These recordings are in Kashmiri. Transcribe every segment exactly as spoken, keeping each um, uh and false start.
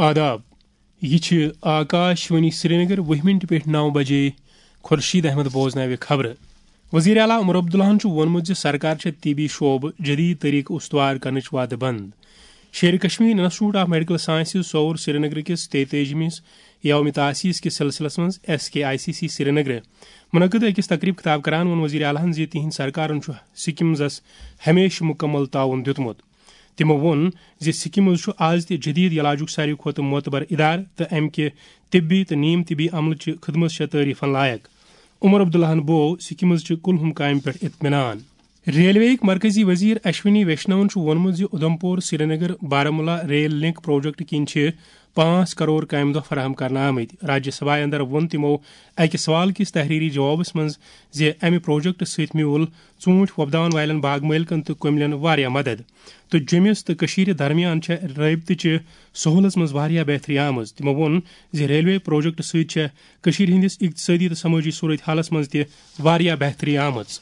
آداب، یہِ چھِ آکاش وانی سرینگر، وُہہِ مِنٹہِ پٮ۪ٹھ نَو بجے۔ خورشید احمد بوزناوِ خبرٕ۔ وزیر اعلیٰ عمر عبداللہَن چھُ ووٚنمُت زِ سرکار چھےٚ طبی شعبہٕ جدید طریقہٕ استوار کرنٕچ وعدٕ بنٛد۔ Sher e Kashmir institute of medical sciences Soura Srinagar کِس تیتٲجِمِس یوم تاسیس کِس سلسلس منٛز S K I C C Srinagar منعقد أکِس تقریب خطاب کران ووٚن وزیر اعلیٰ ہَن زِ تِہنٛدِ سرکارن چھُ سکمزس ہمیشہٕ مکمل تعاون دیُتمُت۔ تِمو ووٚن زِ سکمز چھُ آز تہِ جدید علاجُک ساروی کھۄتہٕ معتبر ادارٕ تہٕ امہِ کہِ طبی تہٕ نیم طبی عملہٕ چہِ خدمژ چھےٚ تعریفن لایق۔ عمر عبداللہَن بوو سکمز چہِ کُلہُم کامہِ پٮ۪ٹھ اطمینان۔ ریلوے ہٕکۍ مرکزی وزیر اشونی ویشنون چھُ ووٚنمُت زِ Udhampur Srinagar Baramulla rail link project کِنۍ چھِ پانٛژھ کرور کامہِ دۄہ فراہم کرنہٕ آمٕتۍ۔ راجیہ سبھایہ اندر ووٚن تِمو اکہِ سوال کِس تحریری جوابس منٛز زِ امہِ پروجیکٹ سۭتۍ میوٗل ژوٗنٹھۍ وۄپداون والٮ۪ن باغ مٲلکن تہٕ کٔملٮ۪ن واریاہ مدد تہٕ جوٚمِس تہٕ کٔشیٖرِ درمیان چھےٚ رٲبطہٕ چہِ سہولژ منٛز واریاہ بہتری آمٕژ۔ تِمو ووٚن زِ ریلوے پروجیکٹ سۭتۍ چھےٚ کٔشیٖرِ ہٕنٛدِس اقتصٲدی تہٕ سمٲجی صورت حالس منٛز تہِ واریاہ بہتری آمٕژ۔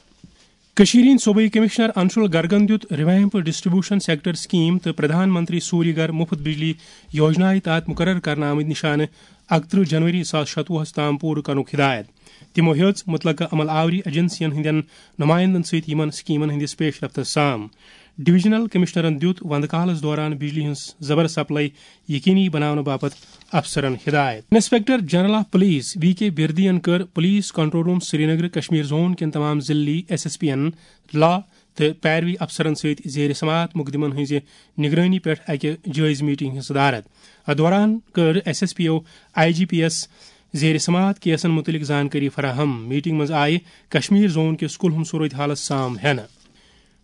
کٔشیٖرِ ہٕنٛدۍ صوبٲئی کمشنر انشول گرگن دیُت ریویمپ ڈسٹریبیوشن سیکٹر سکیم تہٕ پردھان منتری سوریہ گھر مفت بجلی یوجنایہِ تحت مقرر کرنہٕ آمٕتۍ نشانہٕ اکترٕہ جنوری زٕ ساس شتوُہس تام پوٗرٕ کرنُک ہدایت۔ تِمو ہیٚژ متعلقہٕ عمل آوری ایجنسین ہٕنٛدٮ۪ن نمائندن سۭتۍ یِمن سکیمن ہٕنٛدِس پیش رفتس سام۔ ڈویژنل کمشنرن دیُت وندٕ کالس دوران بجلی ہٕنٛز زبر سپلائی یقینی بناونہٕ باپتھ افسرن ہدایت۔ Inspector general of police V K بردین کٔر police control room Srinagar Kashmir zone کٮ۪ن تمام ضلعی ایس ایس پی ین لا تہٕ پیروی افسرن سۭتۍ زیر سماعت مقدمن ہٕنٛزِ نگرٲنی پٮ۪ٹھ اکہِ جٲیزٕ میٹنگ ہٕنٛز صدارت۔ اتھ دوران کٔر S S P O I G P یس زیر سماعت کیسن متعلق زانکٲری فراہم۔ میٹنگ منٛز آیہِ کشمیر زون کِس کُلہُم صورت حالس سام ہینہٕ۔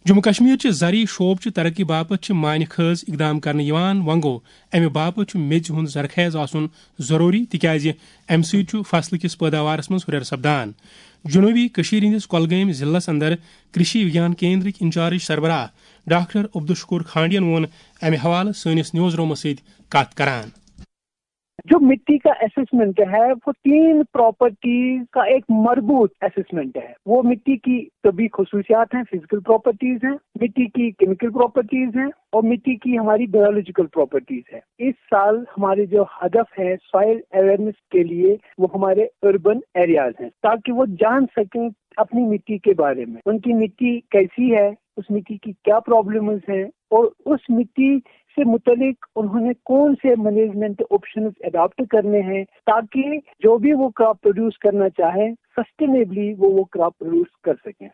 جموں کشمیر چہِ زرعی شعبہٕ چہِ ترقی باپتھ چھِ معنی خیز اقدام کرنہٕ یِوان۔ وۄنۍ گوٚو، امہِ باپتھ چھُ میٚژِ ہُنٛد زرخیز آسُن ضروٗری، تِکیازِ امہِ سۭتۍ چھُ فصلہٕ کِس پٲداوارس منٛز ہُرٮ۪ر سپدان۔ جنوبی کشمیر ہٕنٛدِس کۄلگٲمۍ ضلعس اندر کرشی وگیان کیندرٕکۍ انچارج سربراہ ڈاکٹر عبدالشکور کھانڈین ووٚن امہِ حوالہٕ سٲنِس نیوز رومس سۭتۍ کتھ کران۔ جو مٹی کا اسسمنٹ ہے، وہ تین پراپرٹیز کا ایک مربوط اسسمنٹ ہے۔ وہ مٹی کی طبی خصوصیات ہیں، فزیکل پراپرٹیز ہیں، مٹی کی کیمیکل پراپرٹیز ہیں اور مٹی کی ہماری بایولوجیکل پراپرٹیز ہے۔ اس سال ہمارے جو ہدف ہیں سوائل اویئرنیس کے لیے، وہ ہمارے اربن ایریاز ہیں، تاکہ وہ جان سکیں اپنی مٹی کے بارے میں، ان کی مٹی کیسی ہے، اس مٹی کی کیا پرابلمز ہیں اور اس مٹی سے متعلق انہوں نے کون سے مینجمنٹ آپشنز اڈاپٹ کرنے ہیں، تاکہ جو بھی وہ کراپ پروڈیوس کرنا چاہیں، سسٹینیبلی وہ وہ کراپ پروڈیوس کر سکیں۔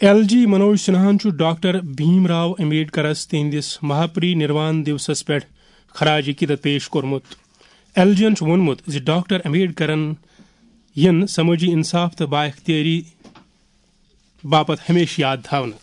ایل جی منوج سنہاہن چھُ ڈاکٹر بھیم راو امبیڈکرس تِہنٛدِس مہاپری نروان دیوسس پٮ۪ٹھ خراج عقیدت پیش کوٚرمُت۔ ایل جی ین چھُ ووٚنمُت زِ ڈاکٹر امبیڈکرن یِن سمٲجی انصاف تہٕ بااختیٲری باپتھ ہمیشہٕ یاد تھاونہٕ۔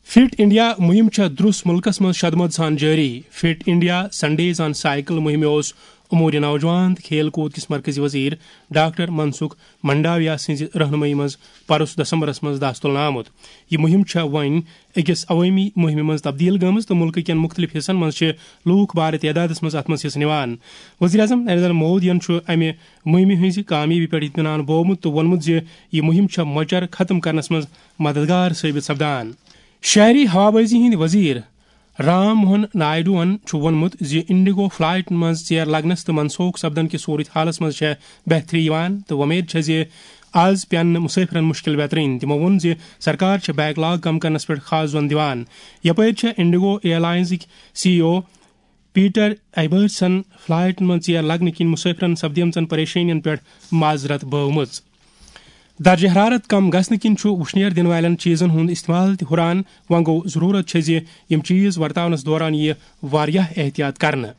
فٹ انڈیا مُہِم چھےٚ درُس مُلکس منٛز شدمد سان جٲری۔ فٹ انڈیا سنڈیز آن سائیکل مُہِمہِ اوس امور نوجوان تہٕ کھیل کوٗد کِس مرکزی وزیر ڈاکٹر منسکھ منڈاویا سٕنٛزِ رہنمٲیی منٛز پرُس دسمبرس منٛز دس تُلنہٕ آمُت۔ یہِ مُہِم چھےٚ وۄنۍ أکِس عوٲمی مُہِمہِ منٛز تبدیٖل گٔمٕژ تہٕ مُلکہٕ کٮ۪ن مُختٔلِف حصن منٛز چھِ لوٗکھ بارٕ تعدادس منٛز اتھ منٛز حصہٕ نِوان۔ وزیر اعظم نریندر مودیَن چھُ امہِ مُہِمہِ ہٕنٛزِ کامیٲبی پٮ۪ٹھ اطمینان بوومُت تہٕ ووٚنمُت زِ یہِ مُہِم چھےٚ مۄچر ختم کرنس منٛز مددگار ثٲبت سپدان۔ شہری ہوابازی ہٕنٛدۍ وزیر رام موہن نائیڈوَن چھُ ووٚنمُت زِ انڈیگو فلائٹَن منٛز ژیر لگنس تہٕ منسوخ سپدن کِس صورت حالس منٛز چھےٚ بہتری یِوان تہٕ وۄمید چھےٚ زِ آز پیٚن نہٕ مسافرن مشکل بیترٕنۍ۔ تِمو ووٚن زِ سرکار چھےٚ بیک لاگ کم کرنس پٮ۪ٹھ خاص زور دِوان۔ یپٲرۍ چھےٚ انڈیگو ایئر لائنزٕکۍ سی ای او پیٹر ایبرٹسن فلائٹن منٛز ژیر لگنہٕ کِنۍ مسافرن سپدیمژن پریشٲنین پٮ۪ٹھ معذرت بٲومٕژ۔ درجہ حرارت کم گژھنہٕ کِنۍ چھُ وُشنیر دِنہٕ والٮ۪ن چیزن ہُنٛد استعمال تہِ ہُران۔ وۄنۍ گوٚو، ضروٗرت چھےٚ زِ یِم چیز ورتاونس دوران یِیہِ واریاہ احتیاط کرنہٕ۔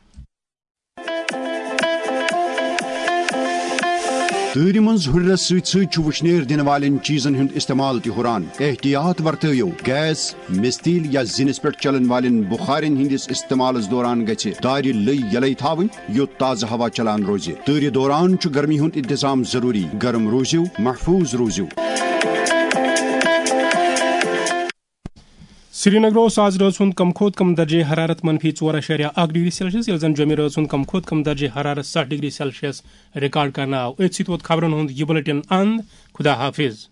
تۭرِ منٛز ہُرٮ۪رس سۭتۍ سۭتۍ چھُ وُشنیر دِنہٕ والٮ۪ن چیزن ہُنٛد استعمال تہِ ہُران۔ احتیاط ورتٲیِو۔ گیس، مِستیٖل یا زِنِس پٮ۪ٹھ چلن والٮ۪ن بُخارٮ۪ن ہٕنٛدِس استعمالس دوران گژھِ دارِ لٔے یلے تھاوٕنۍ، یوٚت تازٕ ہوا چلان روزِ۔ تۭرِ دوران چھُ گرمی ہُنٛد انتظام ضروٗری۔ گرم روٗزِو، محفوٗظ روٗزِو۔ سرینگر اوس آز رٲژ ہُنٛد کم کھۄتہٕ کم درجہ حرارت منفی ژور اَشاریہ اکھ ڈگری سیلسیس، ییٚلہِ زن جوٚمہِ رٲژ ہُنٛد کم کھۄتہٕ کم درجہ حرارت ستھ ڈگری سیلسیس ریکارڈ کرنہٕ آو۔ أتھۍ سۭتۍ ووت خبرن ہُنٛد یہِ بلیٹن اند۔ خدا حافظ۔